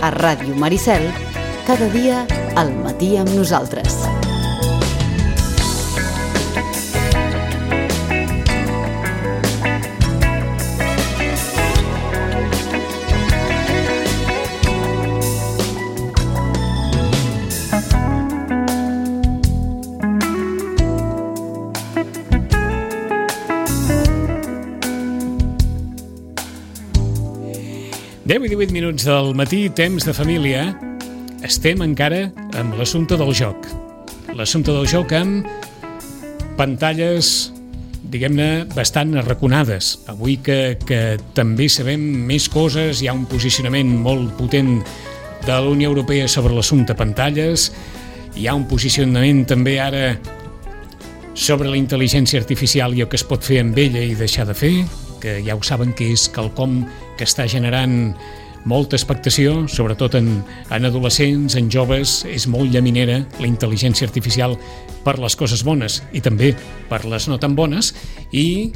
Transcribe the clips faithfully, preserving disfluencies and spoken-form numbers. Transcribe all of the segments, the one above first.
a Ràdio Maricel, cada dia al matí amb nosaltres. deu i divuit minuts del matí, temps de família. Estem encara amb l'assumpte del joc. L'assumpte del joc amb pantalles, diguem-ne, bastant arraconades. Avui que, que també sabem més coses, hi ha un posicionament molt potent de la Unió Europea sobre l'assumpte pantalles, hi ha un posicionament també ara sobre la intel·ligència artificial i el que es pot fer amb ella i deixar de fer, que ja ho saben que és quelcom que està generant molta expectació, sobretot en, en adolescents, en joves. És molt llaminera la intel·ligència artificial per les coses bones i també per les no tan bones. I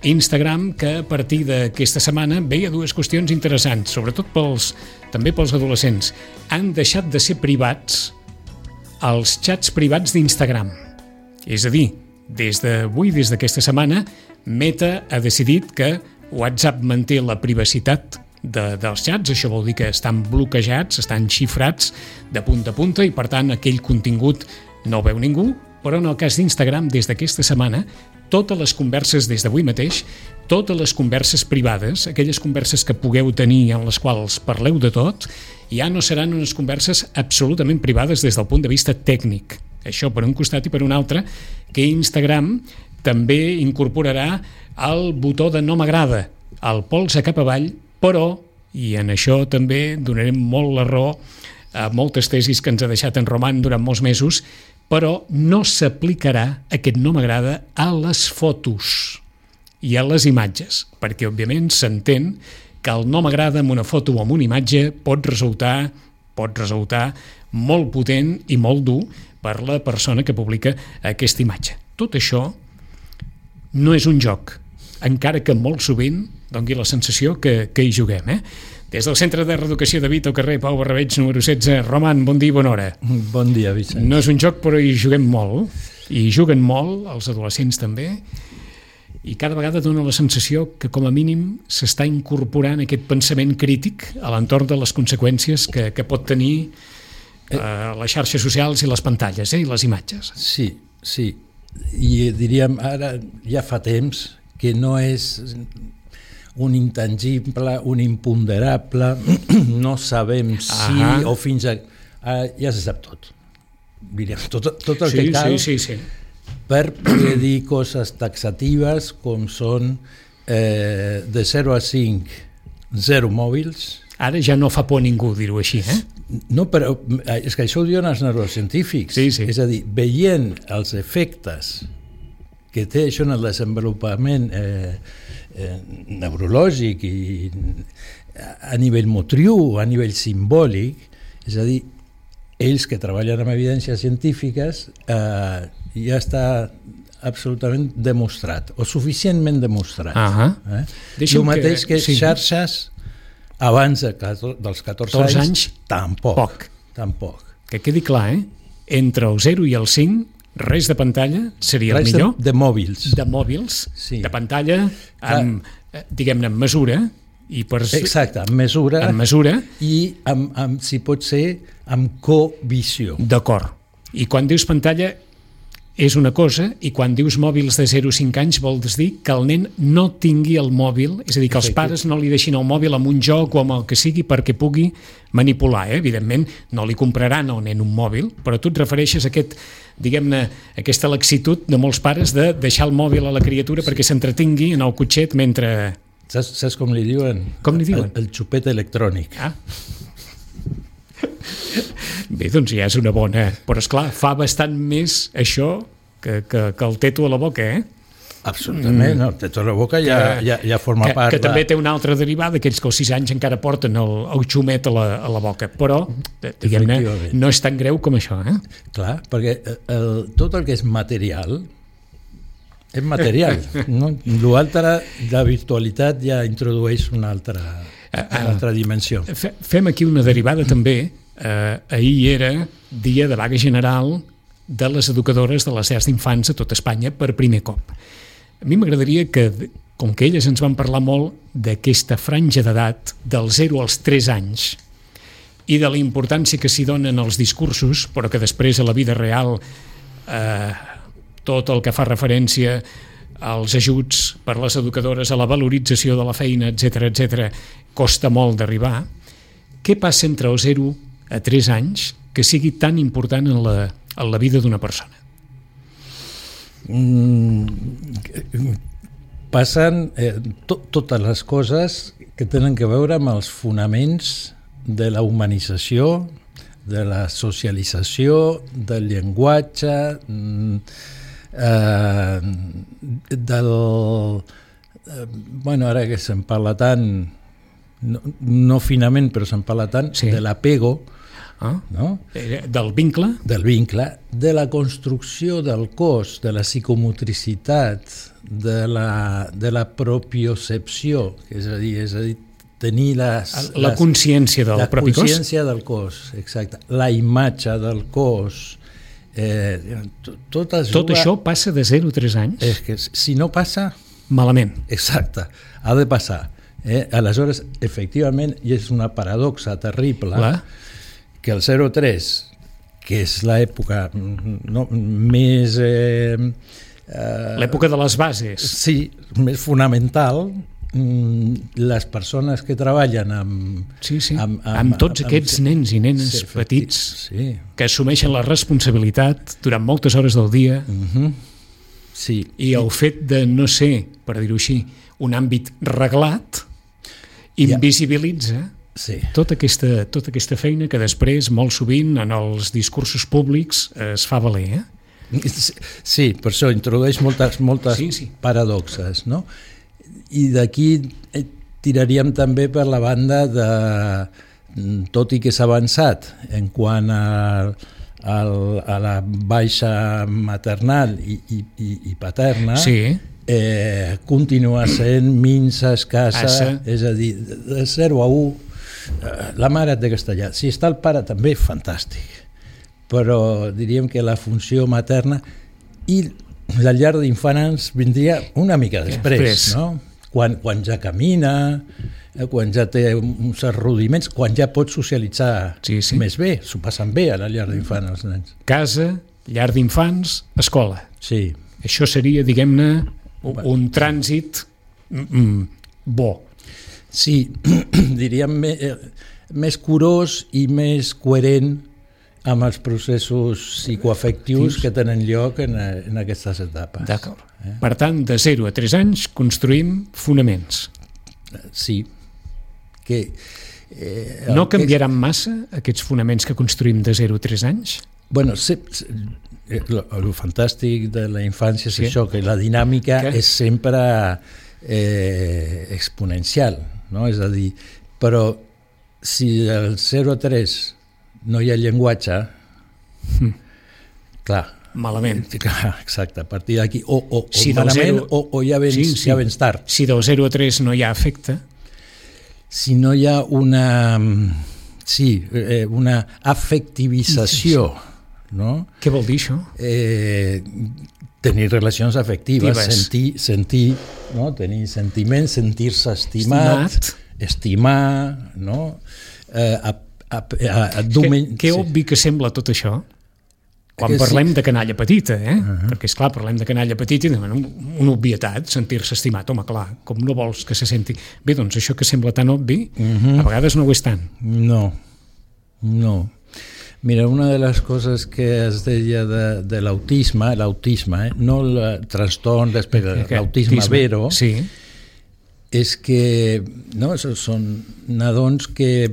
Instagram, que a partir d'aquesta setmana veia dues qüestions interessants, sobretot pels, també pels adolescents. Han deixat de ser privats els xats privats d'Instagram. És a dir, des d'avui, des d'aquesta setmana, Meta ha decidit que WhatsApp manté la privacitat de, dels xats. Això vol dir que estan bloquejats, estan xifrats de punta a punta i, per tant, aquell contingut no el veu ningú. Però en el cas d'Instagram, des d'aquesta setmana, totes les converses des d'avui mateix, totes les converses privades, aquelles converses que pugueu tenir en les quals parleu de tot, ja no seran unes converses absolutament privades des del punt de vista tècnic. Això per un costat, i per un altre, que Instagram també incorporarà el botó de no m'agrada, el polze cap avall, però, i en això també donarem molt la raó a moltes tesis que ens ha deixat en Roman durant molts mesos, però no s'aplicarà aquest no m'agrada a les fotos i a les imatges, perquè òbviament s'entén que el no m'agrada amb una foto o amb una imatge pot resultar, pot resultar molt potent i molt dur per la persona que publica aquesta imatge. Tot això no és un joc, encara que molt sovint doni la sensació que, que hi juguem. Eh? Des del Centre de Reeducació de Vita, al carrer Pau Barrabeig, número setze. Roman, bon dia i bona hora. Bon dia, Vicent. No és un joc, però hi juguem molt, i juguen molt, els adolescents també, i cada vegada dona la sensació que, com a mínim, s'està incorporant aquest pensament crític a l'entorn de les conseqüències que, que pot tenir eh, les xarxes socials i les pantalles, eh, i les imatges. Sí, sí. I diríem, ara ja fa temps que no és un intangible, un imponderable, no sabem si ah o fins a... Ah, ja se sap tot. Diríem, tot, tot el sí, que cal sí, sí, sí. per poder dir coses taxatives com són eh, de zero a cinc, zero mòbils. Ara ja no fa por a ningú dir-ho així, eh? No, però és que això ho diuen els neurocientífics. Sí, sí. És a dir, veient els efectes que té això en el desenvolupament eh, eh, neurològic i a nivell motriu, a nivell simbòlic, és a dir, ells que treballen amb evidències científiques eh, ja està absolutament demostrat, o suficientment demostrat. Uh-huh. Eh? El mateix que, que sí. Xarxes abans de, dels catorze anys, anys, tampoc, poc. tampoc. Que quedi clar, eh? Entre el zero i el cinc, res de pantalla seria res el millor. De, de mòbils. De mòbils, sí. De pantalla, amb, clar. Diguem-ne, amb mesura. I per... Exacte, amb mesura. Amb mesura. I, amb, amb, si pot ser, amb covisió. D'acord. I quan dius pantalla, és una cosa, i quan dius mòbils de zero a cinc anys vols dir que el nen no tingui el mòbil, és a dir, que els pares no li deixin el mòbil amb un joc o amb el que sigui perquè pugui manipular. Eh? Evidentment, no li compraran al nen un mòbil, però tu et refereixes a aquest, diguem-ne, aquesta laxitud de molts pares de deixar el mòbil a la criatura perquè s'entretingui en el cotxet mentre... Saps, saps com li diuen? Com li diuen? El, el xupet electrònic. Ah. Bé, doncs ja és una bona... Però, esclar, fa bastant més això que, que, que el teto a la boca, eh? Absolutament, mm. no, el teto a la boca ja, que, ja, ja forma que, part... Que de... també té una altra derivada, aquells que als sis anys encara porten el, el xumet a la, a la boca, però, diguem-ne, no és tan greu com això, eh? Clar, perquè el, tot el que és material és material, no? L'altre, la virtualitat ja introdueix una altra... una altra dimensió. Fem aquí una derivada també. Eh, ahir era dia de vaga general de les educadores de les llars d'infants a tot Espanya per primer cop. A mi m'agradaria que, com que elles ens van parlar molt d'aquesta franja d'edat dels zero als tres anys i de la importància que s'hi donen els discursos, però que després a la vida real eh, tot el que fa referència als ajuts per les educadores, a la valorització de la feina, etcètera, etcètera, costa molt d'arribar. Què passa entre els zero a tres anys que sigui tan important en la, en la vida d'una persona? Mm, passen eh, to, totes les coses que tenen que veure amb els fonaments de la humanització, de la socialització, del llenguatge, eh, del... Eh, bueno, ara que se'n parla tant, no, no finament, però se'n parla tant, sí. de l'apego, ah, no? Del vincle? Del vincle, de la construcció del cos, de la psicomotricitat, de la, de la propiocepció, és a dir, és a dir tenir les, la consciència del la propi cos? La consciència del cos, exacte. La imatge del cos. Eh, tot, es tot juga... això passa de zero a tres anys? És que si no passa... Malament. Exacte, ha de passar. Eh? Aleshores, efectivament, i és una paradoxa terrible, Clar. que el zero a tres, que és l'època no, més... Eh, eh, l'època de les bases. Sí, més fonamental, les persones que treballen amb... Sí, sí, amb, amb, amb tots amb, aquests amb, nens i nenes sí, petits sí. que assumeixen la responsabilitat durant moltes hores del dia uh-huh. sí, i sí. el fet de no ser, per dir-ho així, un àmbit reglat invisibilitza sí. tota, aquesta, tota aquesta feina que després, molt sovint, en els discursos públics es fa valer. Eh? Sí, per això introdueix moltes, moltes sí, sí. paradoxes, no? I d'aquí tiraríem també per la banda de, tot i que s'ha avançat en quant a, a, a la baixa maternal i, i, i paterna, sí. eh, continua sent minsa, escassa, Assa. És a dir, de zero a u, la mare té castellà. Si està el pare també, fantàstic, però diríem que la funció materna i la llar d'infants vindria una mica després, després. no? Quan, quan ja camina, quan ja té uns certs rudiments, quan ja pot socialitzar sí, sí. més bé, s'ho passen bé a la llar d'infants els nens. Casa, llar d'infants, escola. Sí. Això seria, diguem-ne, un, un trànsit mm, bo. Sí, diríem més, més curós i més coherent amb els processos psicoafectius que tenen lloc en, en aquestes etapes. D'acord. Eh? Per tant, de zero a tres anys construïm fonaments. Sí. Que, eh, no canviaran que... massa aquests fonaments que construïm de zero a tres anys? Bueno, se, se, lo, lo fantàstic de la infància és sí. això, que la dinàmica que? és sempre eh, exponencial, no? És a dir, però si del zero a tres no hi ha llenguatge, mm. clar, malament. Clar, exacte, a partir d'aquí o, o, si o malament zero... o, o ja, vens, sí, sí. ja vens tard. Si del zero a tres no hi ha afecte, si no hi ha una sí, eh, una afectivització, no? Què vol dir això? Eh, tenir relacions afectives, Tives. sentir, sentir, no? Tenir sentiments, sentir-se estimat, estimat, estimar, no? Eh, a A, a, a domen... Que, que obvi que sembla tot això quan que parlem sí. de canalla petita, eh? Uh-huh. Perquè, esclar, parlem de canalla petita i demanem una obvietat, sentir-se estimat. Home, clar, com no vols que se senti... Bé, doncs això que sembla tan obvi, uh-huh. a vegades no ho és tant. No, no. Mira, una de les coses que es deia de, de l'autisme, l'autisme, eh? no el trastorn d'espectre, l'autisme vero, sí. és que no, són nadons que,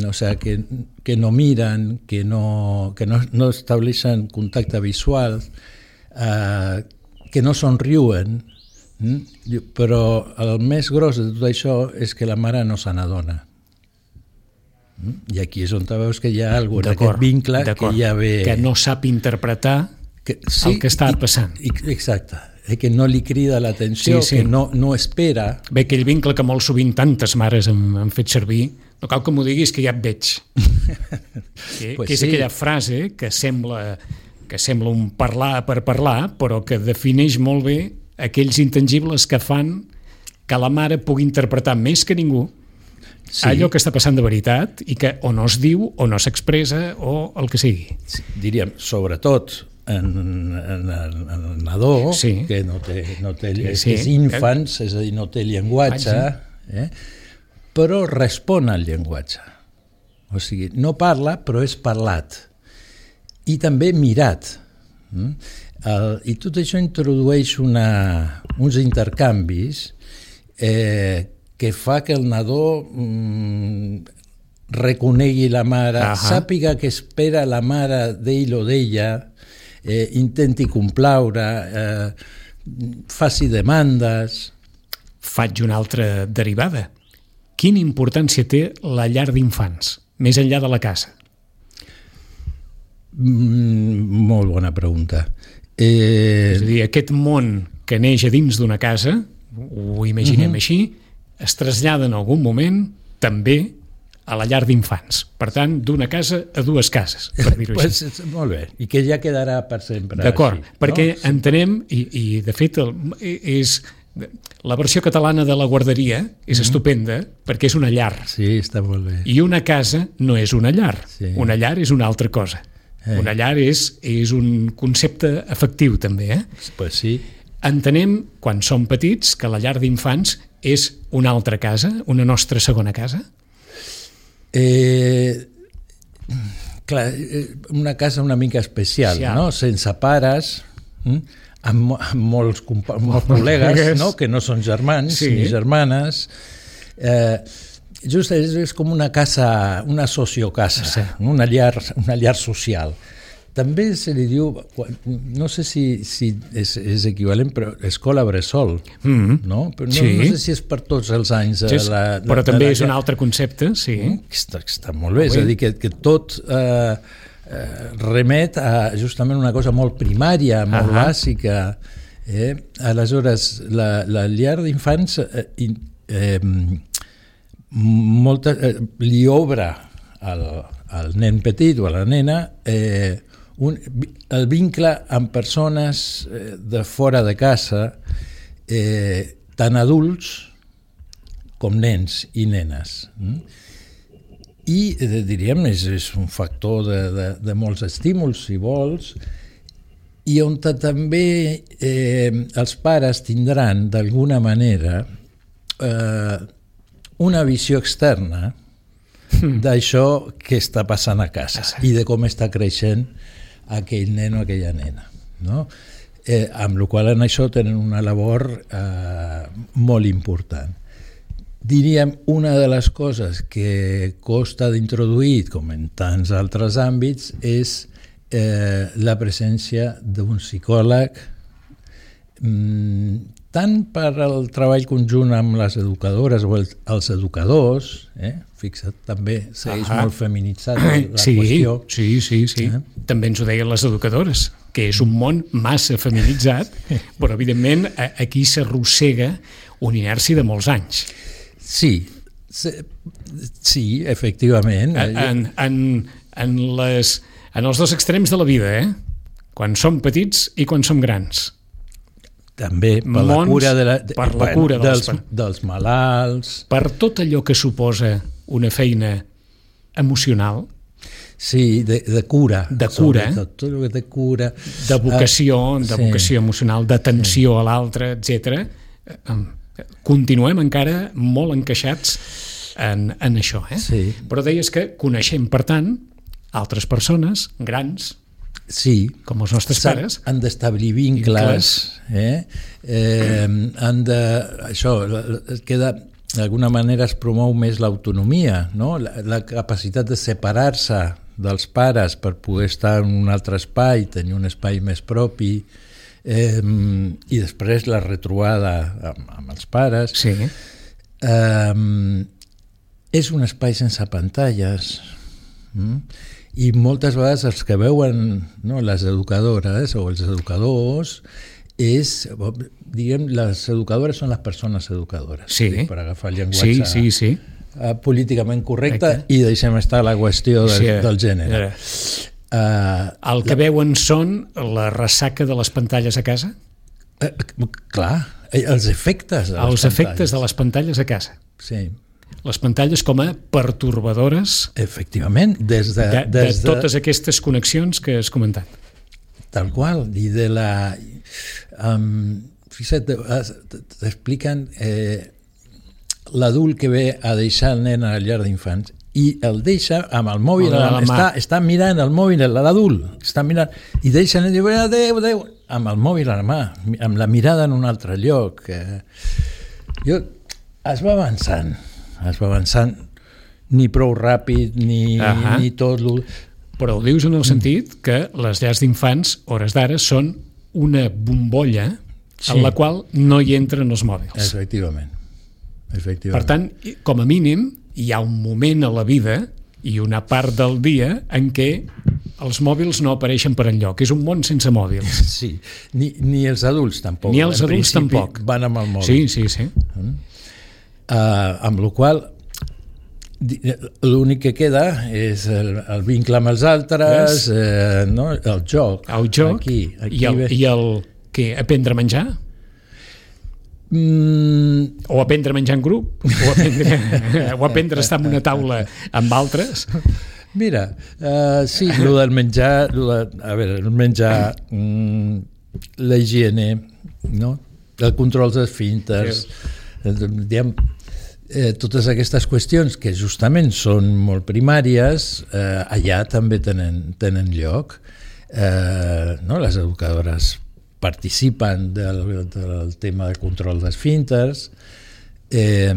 o sea, que, que no miren, que no, que no, no estableixen contacte visual, eh, que no somriuen, hm? Però el més gros de tot això és que la mare no se n'adona. Hm? I aquí és on veus que hi ha alguna cosa, aquest vincle que ja ve... Que no sap interpretar que, sí, el que està i, passant. I, exacte. eh, que no li crida l'atenció, Sí, sí. que no, no espera. Bé, aquell vincle que molt sovint tantes mares han, han fet servir, no cal que m'ho diguis que ja et veig. que, Pues que és sí. aquella frase que sembla, que sembla un parlar per parlar, però que defineix molt bé aquells intangibles que fan que la mare pugui interpretar més que ningú Sí. allò que està passant de veritat i que o no es diu o no s'expressa o el que sigui. Diríem, sobretot en, en, en el nadó, Sí. que no té, no té Sí, és, sí. és infants, és a dir, no té llenguatge, eh? Però respon al llenguatge. O sigui, no parla, però és parlat. I també mirat. Mm? El, I tot això introdueix una, uns intercanvis eh, que fa que el nadó mm, reconegui la mare, Ahà. sàpiga que espera la mare d'ell o d'ella, eh, intenti complaure, eh, faci demandes. Faig una altra derivada. Quina importància té la llar d'infants, més enllà de la casa? Mm, molt bona pregunta. Eh, És a dir, aquest món que neix a dins d'una casa, ho imaginem uh-huh. així, es trasllada en algun moment també a la llar d'infants. Per tant, d'una casa a dues cases, per dir-ho pues, així. molt bé, i que ja quedarà per sempre. D'acord, així, perquè no? entenem, i, i de fet el, és, la versió catalana de la guarderia és Mhm. estupenda perquè és una llar. Sí, està molt bé. I una casa no és una llar. Sí. Una llar és una altra cosa. Eh. Una llar és, és un concepte afectiu, també. Eh? Pues sí. Entenem, quan som petits, que la llar d'infants és una altra casa, una nostra segona casa? Eh, clar, eh, una casa una mica especial, Especial. no? Sense pares, hm? amb, mo- amb molts, compa- molts col·legues, no? Que no són germans Sí. ni germanes. Eh, just és, és com una casa, una sociocasa, Sí. una llar, una llar social. També se li diu, quan- no sé si, si és, és equivalent, però escola bressol, Mm. no? Però no, Sí. no sé si és per tots els anys. eh, Sí, és- la, però la, també la és un llar. altre concepte, sí. Que està, que està molt bé, Molt és a bé. dir, que, que tot eh, eh, remet a justament una cosa molt primària, molt Ahà. bàsica. Eh? Aleshores, la, la llar d'infants eh, in- eh, molta, eh, li obre al, al nen petit o a la nena eh, un, el vincle amb persones eh, de fora de casa, eh, tant adults com nens i nenes. Mm? I, eh, diríem, és, és un factor de, de, de molts estímuls, si vols, i on també eh, els pares tindran, d'alguna manera, eh, una visió externa d'això que està passant a casa i de com està creixent aquell nen o aquella nena, no? Eh, amb la qual en això tenen una labor eh, molt important. Diríem, una de les coses que costa d'introduir, com en tants altres àmbits, és eh, la presència d'un psicòleg, mm, tant per al treball conjunt amb les educadores o el, els educadors, eh? Fixa't, també segueix Ah. molt feminitzat la sí, qüestió. sí, sí, sí. Eh? També ens ho deien les educadores, que és un món massa feminitzat, però evidentment a- aquí s'arrossega una inèrcia de molts anys. Sí, sí, sí, efectivament. En, en, en, les, en els dos extrems de la vida, eh? Quan som petits i quan som grans. També per la Mons, cura, de la, de, per la cura dels- dels, dels malalts. Per tot allò que suposa una feina emocional, Sí, de, de cura. De cura. Sobretot, tot el que té cura. de vocació, de sí. vocació emocional, d'atenció a l'altre, etcètera. Continuem encara molt encaixats en, en això. Eh? Sí. Però deies que coneixem, per tant, altres persones, grans, Sí. com els nostres S'han- pares. Han d'establir vincles. Eh? Eh, han de... Això, la- la- queda... D'alguna manera es promou més l'autonomia, no? la, la capacitat de separar-se dels pares per poder estar en un altre espai, tenir un espai més propi, eh, i després la retrobada amb, amb els pares. Sí. Eh, és un espai sense pantalles, mm? I moltes vegades els que veuen, no, les educadores o els educadors és, diguem, les educadores són les persones educadores, sí. per agafar el llenguatge sí, sí, sí. políticament correcte. Correcte. I deixem estar la qüestió de, sí, del gènere. Uh, el que la... veuen són la ressaca de les pantalles a casa? Uh, clar, els efectes de les els pantalles. efectes de les pantalles a casa. Sí. Les pantalles com a pertorbadores, efectivament, des de, de, des de totes aquestes connexions que has comentat. Tal qual, i de la... Um, fixa't, t'expliquen eh, l'adult que ve a deixar el nen a la llar d'infants i el deixa amb el mòbil, a la, està, està mirant el mòbil, l'adult està mirant, i deixa el nen i diu, adéu, adéu, amb el mòbil a la mà, amb la mirada en un altre lloc. Eh, jo, es va avançant, es va avançant, ni prou ràpid, ni, uh-huh. ni tot... Però ho dius en el sentit que les llars d'infants, hores d'ara, són una bombolla sí. en la qual no hi entren els mòbils. Efectivament. Efectivament. Per tant, com a mínim, hi ha un moment a la vida i una part del dia en què els mòbils no apareixen per enlloc. És un món sense mòbils. Sí, ni, ni els adults tampoc. Ni els adults tampoc. Van amb el mòbil. Sí, sí, sí. Mm? Uh, amb la qual l'únic que queda és el, el vincle amb els altres, eh, no? El joc. El joc aquí, aquí i, el, ve... i el què? Aprendre a menjar? Mm... O aprendre a menjar en grup? O aprendre, o aprendre a estar en una taula amb altres? Mira, uh, sí, el del menjar, lo de, a veure, el menjar, mm, la higiene, no? El control dels esfínters, sí. diguem, Eh, totes aquestes qüestions que justament són molt primàries, eh, allà també tenen, tenen lloc. Eh, no? Les educadores participen del, del tema de control d'esfínters eh,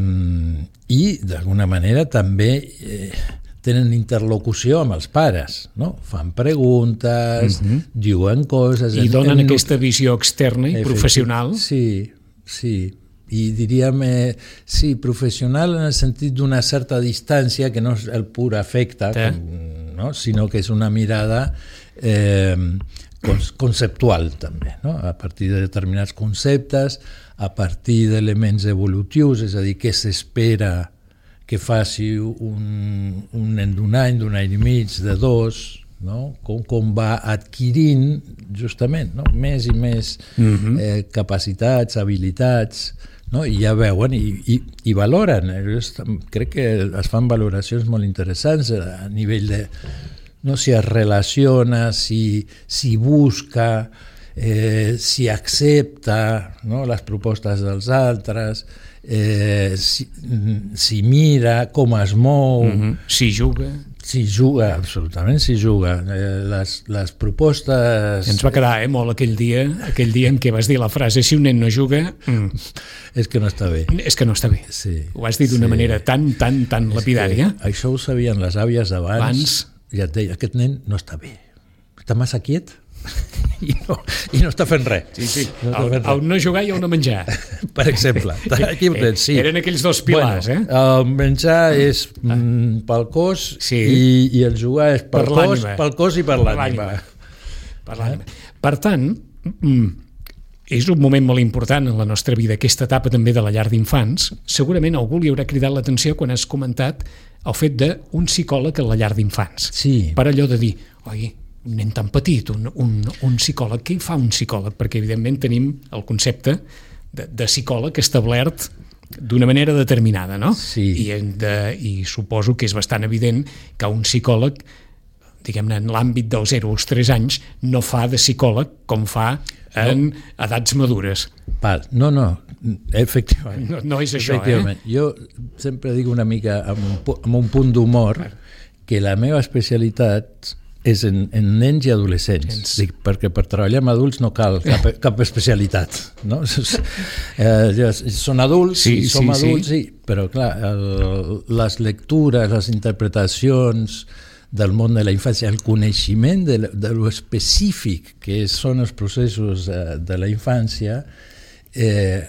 i d'alguna manera també eh, tenen interlocució amb els pares, no? Fan preguntes, uh-huh. diuen coses... I en, donen en... aquesta visió externa i professional. Sí, sí. I diríem, eh, sí, professional en el sentit d'una certa distància, que no és el pur afecte, sí. com, no? Sinó que és una mirada eh, conceptual també, no? A partir de determinats conceptes, a partir d'elements evolutius, és a dir, què s'espera que faci un, un nen d'un any, d'un any i mig, de dos, no? com, com va adquirint justament, no? més i més uh-huh. eh, capacitats, habilitats, no? I ja veuen i, i, i valoren. Crec que es fan valoracions molt interessants a nivell de no? si es relaciona, si, si busca, eh, si accepta, no? les propostes dels altres, eh, si, si mira, com es mou, uh-huh. si juga. Si juga, absolutament si juga. Eh, les, les propostes... Ens va quedar eh, molt aquell dia, aquell dia en què vas dir la frase si un nen no juga... Mm. És que no està bé. És que no està bé. Sí, ho has dit d'una sí. manera tan, tan, tan és lapidària. Això ho sabien les àvies abans. Abans. Ja et deia, aquest nen no està bé. Està massa quiet i no, i no està fent res. Sí, sí. No el, el no jugar i el no menjar. Per exemple. Aquí ho tens, sí. Eren aquells dos pilars, bueno, eh? El menjar és mm, pel cos sí. i, i el jugar és pel, per cos, pel cos i per, per l'ànima. Per l'ànima. Per tant, mm, és un moment molt important en la nostra vida, aquesta etapa també de la llar d'infants. Segurament algú li haurà cridat l'atenció quan has comentat el fet d'un psicòleg a la llar d'infants. Sí. Per allò de dir, oi, un nen tan petit, un, un, un psicòleg, què hi fa un psicòleg? Perquè evidentment tenim el concepte de, de psicòleg establert d'una manera determinada, no? Sí. I, de, I suposo que és bastant evident que un psicòleg, diguem-ne, en l'àmbit dels zero als tres anys, no fa de psicòleg com fa en no. edats madures. Val. No, no, efectivament. No, no és això, eh? Jo sempre dic una mica amb un, amb un punt d'humor que la meva especialitat és en, en nens i adolescents, Dic, perquè per treballar amb adults no cal cap, cap especialitat, no? Eh, són adults, sí, sí, som adults, sí. sí, però clar, el, les lectures, les interpretacions del món de la infància, el coneixement de, de lo específic que són els processos de, de la infància, eh,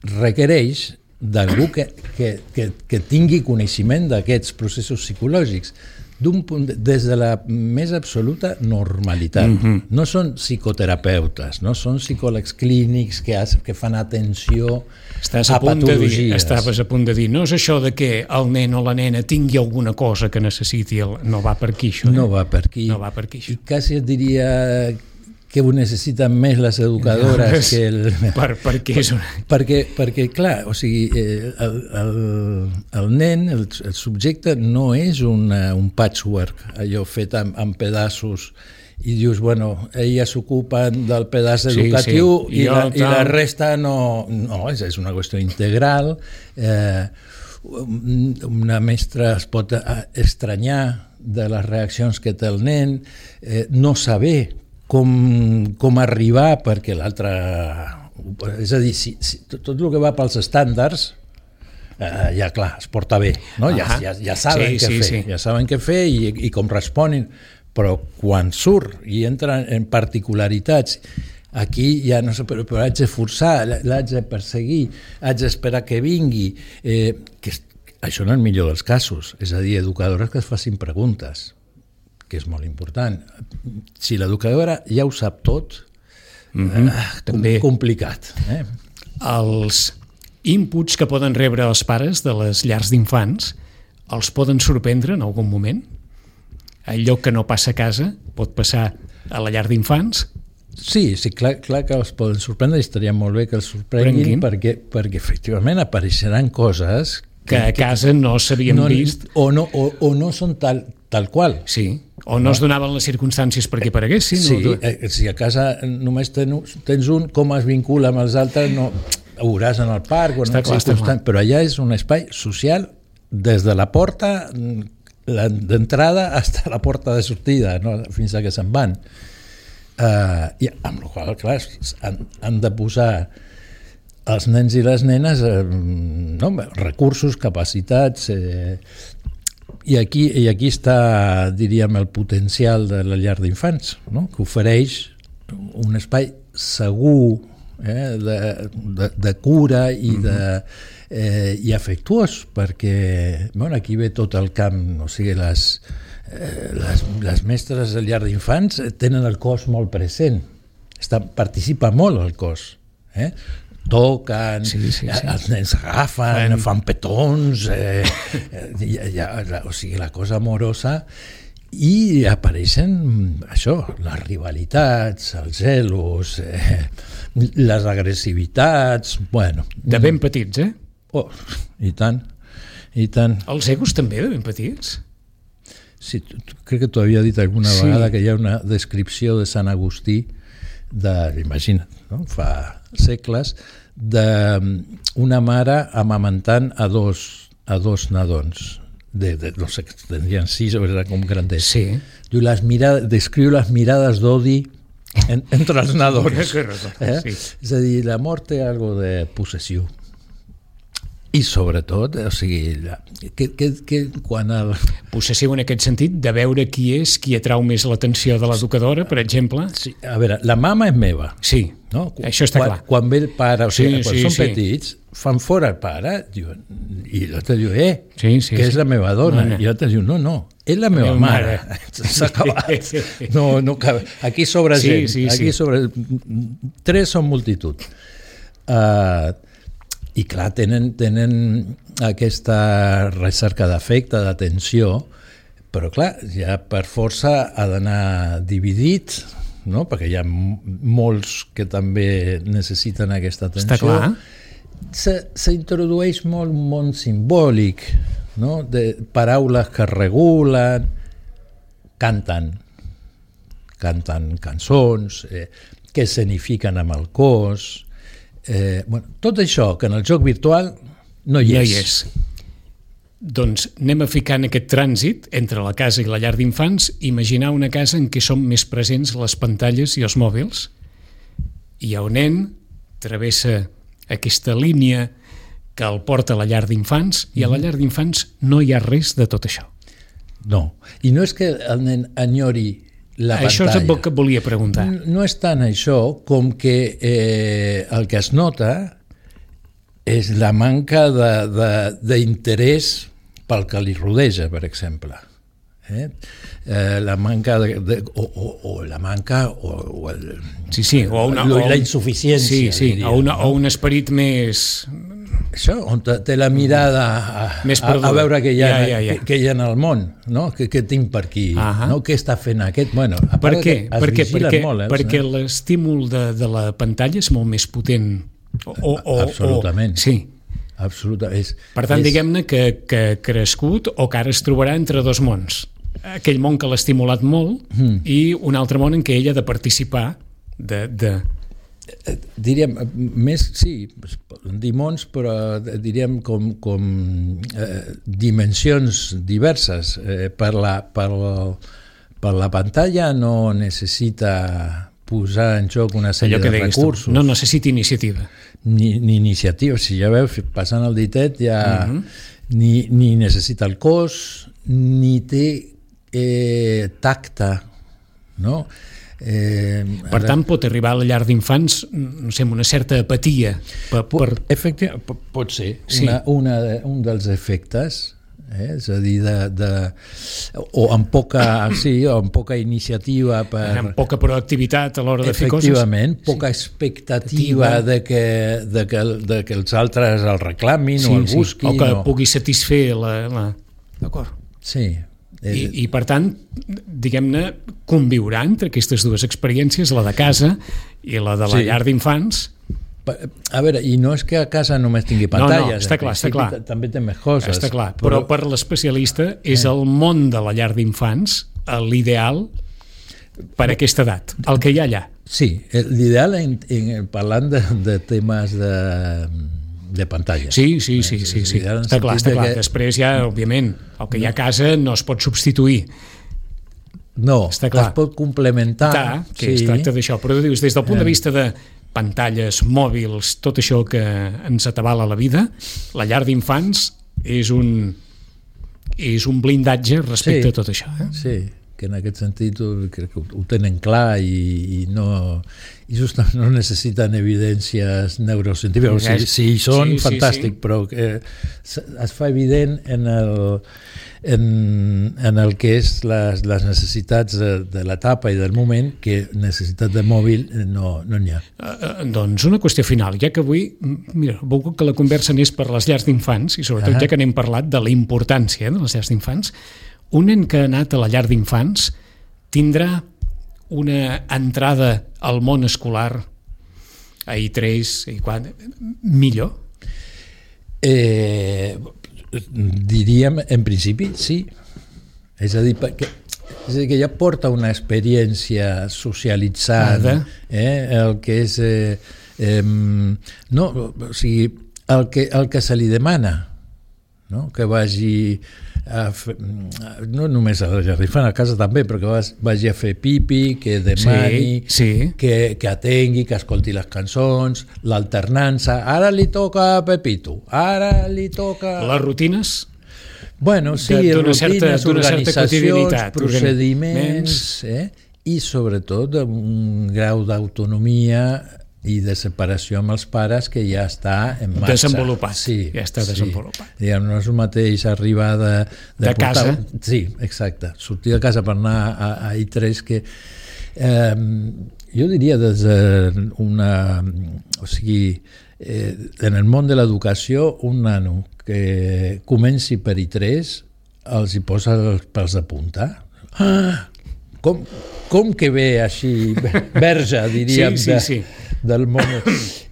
requereix d'algú que, que, que, que tingui coneixement d'aquests processos psicològics, d'un punt, des de la més absoluta normalitat. Mm-hmm. No són psicoterapeutes, no són psicòlegs clínics que, has, que fan atenció Estàs a, a punt patologies. De dir, estaves a punt de dir, no és això de que el nen o la nena tingui alguna cosa que necessiti, el... no va per aquí això. Eh? No va per aquí. No va per aquí això. I quasi et diria que ho necessiten més les educadores no, que el... Per, perquè, és una... perquè, perquè, clar, o sigui, el, el, el nen, el, el subjecte no és una, un patchwork, allò fet amb, amb pedaços, i dius, bueno, elles s'ocupen del pedaç educatiu sí, sí. I, la, i la resta no... No, és, és una qüestió integral. Eh, una mestra es pot estranyar de les reaccions que té el nen, eh, no saber com, com arribar perquè l'altre... És a dir, si, si, tot el que va pels estàndards eh, ja clar, es porta bé, no? ja, ja, ja saben sí, què sí, fer, sí. ja saben què fer i, i com responen, però quan surt i entra en particularitats, aquí ja no sé, però, però haig de forçar, l'haig de perseguir, haig d'esperar que vingui, eh, que això no és el millor dels casos, és a dir, educadores que es facin preguntes, que és molt important. Si l'educadora ja ho sap tot, mm-hmm. eh, també complicat. Eh? Els inputs que poden rebre els pares de les llars d'infants els poden sorprendre en algun moment? Allò que no passa a casa pot passar a la llar d'infants? Sí, sí, clar, clar que els poden sorprendre i estaria molt bé que els sorprenguin perquè, perquè efectivament apareixeran coses que, que a casa que no s'havien no, vist o no, o, o no són tal, tal qual. Sí, o no, no es donaven les circumstàncies perquè pareguessin. Sí, no? eh, si a casa només tens, tens un, com es vincula amb els altres, no, ho veuràs en el parc, o en clar, constant, però allà és un espai social des de la porta d'entrada fins a la porta de sortida, no? Fins a que se'n van. Uh, i amb la qual clar, han, han de posar els nens i les nenes eh, no, recursos, capacitats eh, i, aquí, i aquí està, diríem, el potencial de la llar d'infants, no? Que ofereix un espai segur eh, de, de, de cura i, de, eh, i afectuós, perquè bueno, aquí ve tot el camp, o sigui, les Eh, les, les mestres de llar d'infants tenen el cos molt present, Està, participa molt el cos, eh? Toquen, sí, sí, sí. Els nens agafen, fan, fan petons, eh, ja, ja, o sigui, la cosa amorosa, i apareixen això, les rivalitats, els celos, eh, les agressivitats, bueno. De ben petits, eh? Oh, i tant, i tant. Els egos també de ben petits? Sí, crec que t'ho havia dit alguna sí. vegada que hi ha una descripció de Sant Agustí de, imagina't, no? Fa segles, d'una mare amamentant a dos, a dos nadons de, de, no sé, tendrien sis o era com grandets. Sí. Diu, les mirades, descriu les mirades d'odi en, entre els nadons. Eh? Sí. És a dir, l'amor té algo de possessió. I sobretot, o sigui, que, que, que quan el... Possessiu en aquest sentit, de veure qui és, qui atrau més l'atenció de l'educadora, per exemple? Sí, a veure, la mama és meva. Sí, no? Això està quan, clar. Quan ve el pare, o sigui, sí, quan sí, són sí. petits, fan fora el pare, diuen, i l'altre diu, eh, sí, sí, que sí. és la meva dona. No, no. I l'altre diu, no, no, és la meva, la meva mare. mare. S'ha acabat. No, no cabe. Aquí sobre sí, gent. Sí, Aquí sí. sobre... Tres són multitud. Uh, I clar, tenen, tenen aquesta recerca d'afecte, d'atenció, però clar, ja per força ha d'anar dividit, no? Perquè hi ha molts que també necessiten aquesta atenció. Està clar. S'introdueix molt un món simbòlic, no? De paraules que regulen, canten, canten cançons, eh, que escenifiquen amb el cos. Eh, bueno, tot això que en el joc virtual no hi és. No hi és. Doncs anem a ficar en aquest trànsit entre la casa i la llar d'infants, imaginar una casa en què són més presents les pantalles i els mòbils, i el nen travessa aquesta línia que el porta a la llar d'infants, i a la llar d'infants no hi ha res de tot això. No, i no és que el nen enyori la això pantalla. és el que volia preguntar. No és tant això com que eh, el que es nota és la manca d'interès pel que li rodeja, per exemple. Eh? Eh, la manca de, de, o, o, o la manca o, o el, sí, sí, o una, o, o, la insuficiència, sí, sí, diria, o, una, no? o un esperit més... Això, on té la mirada a, a, a veure què hi ha, ja, ja, ja. Que, que hi ha en el món, no? Que, que tinc per aquí, uh-huh. no? Què està fent aquest? Bueno, per què? Per què? Perquè, molt, eh, perquè no? L'estímul de, de la pantalla és molt més potent. O, o, absolutament. O, sí. Absolutament. És, per tant, és... diguem-ne que, que ha crescut o que ara es trobarà entre dos mons. Aquell món que l'ha estimulat molt mm. i un altre món en què ella ha de participar de... de... Diríem, més, sí, dimons, però diríem com, com eh, dimensions diverses. Eh, per, la, per, per la pantalla no necessita posar en joc una sèrie de recursos. Tu, no necessita iniciativa. Ni, ni iniciativa. Si ja veus, passant el ditet, ja uh-huh. ni, ni necessita el cos, ni té eh, tacte, no? Eh, per ara... tant, pot arribar a la llar d'infants, no sé, amb una certa apatia. Per, per... Efectivament, pot ser. Sí. Una, una, un dels efectes, eh? És a dir, de, de, o amb poca, sí, o amb poca iniciativa. Per... Amb poca proactivitat a l'hora de fer coses. Efectivament, poca sí. expectativa de que, de, que, de que els altres el reclamin sí, o el busquin. Sí. O que o... pugui satisfer la... la... D'acord. Sí. I, I, per tant, diguem-ne, conviurà entre aquestes dues experiències, la de casa i la de la sí. llar d'infants. A veure, i no és que a casa només tingui pantalles. No, no, està clar, està clar. També té més coses. Està clar, però, però per l'especialista és el món de la llar d'infants l'ideal per a aquesta edat, el que hi ha allà. Sí, l'ideal, en, en, parlant de, de temes de... de pantalla. Sí, sí, sí, sí, sí. Està clar, està clar. Que... Després ja, òbviament, el que hi ha a casa no es pot substituir. No, es pot complementar. Ta, que sí. Es tracta d'això, però dius, des del punt de vista de pantalles, mòbils, tot això que ens atabala la vida, la llar d'infants és un és un blindatge respecte sí, a tot això. Eh? Sí, que en aquest sentit crec que ho tenen clar i, i no i justament no necessiten evidències neurocientífiques. Si, si hi són, sí, fantàstic, sí, sí. Però que es fa evident en el, en, en el que és les, les necessitats de, de l'etapa i del moment, que necessitat de mòbil no n'hi no ha. Uh, doncs una qüestió final, ja que avui, mira, vull que la conversa anés per les llars d'infants, i sobretot uh-huh. ja que n'hem parlat de la importància de les llars d'infants, un nen que ha anat a la llar d'infants tindrà una entrada al món escolar a I tres, a I quatre, millor? Eh, diríem, en principi, sí. És a dir, perquè, és a dir que ja porta una experiència socialitzant, eh, el que és... Eh, eh, no, o sigui, el que, el que se li demana, no? Que vagi... A fer, no només a la llar d'infants, a casa també, però que vagi a fer pipi, que demani, sí, sí. Que, que atengui, que escolti les cançons, l'alternança. Ara li toca a Pepito, ara li toca... Les rutines? Bueno, sí, de, rutines, certa, organitzacions, procediments, eh? I sobretot un grau d'autonomia i de separació amb els pares que ja està en marxa. Desenvolupat, sí, ja està sí. desenvolupat. Diguem, no és el mateix arribar de... De, de portar... casa? Sí, exacte. Sortir de casa per anar a, a I tres que... Eh, jo diria des d'una... O sigui, eh, en el món de l'educació, un nano que comenci per I tres els hi posa els pèls de punta. Ah! Com, com que ve així, verge, diríem, sí, sí, de, sí. del món.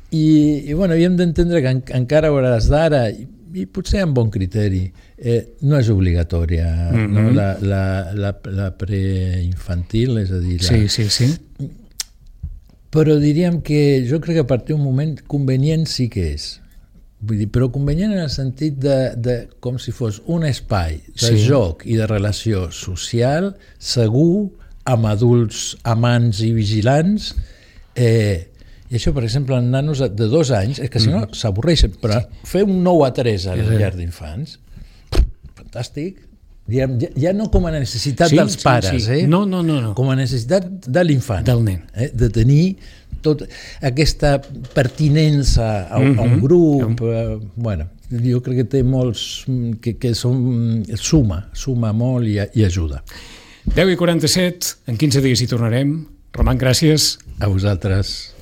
I, i bueno, hem d'entendre que en, encara a hores d'ara, i, i potser amb bon criteri, eh, no és obligatòria, mm-hmm. no? la, la, la, la preinfantil, és a dir... La... Sí, sí, sí. Però diríem que jo crec que a partir d'un moment convenient sí que és. Vull dir, però convenient en el sentit de, de com si fos un espai de sí. joc i de relació social segur, amb adults amants i vigilants, eh, i això, per exemple, en nanos de dos anys, és que si no mm. s'avorreixen, però fer un nou a tres a la llar d'infants, fantàstic, ja, ja no com a necessitat sí, dels pares, sí, sí. eh? no, no, no, no. Com a necessitat de l'infant, del nen, eh? De tenir tot aquesta pertinença a, mm-hmm. a un grup, eh, bueno, jo crec que té molts, que, que són, suma, suma molt i, i ajuda. deu i quaranta-set, en quinze dies hi tornarem. Roman, gràcies. A vosaltres.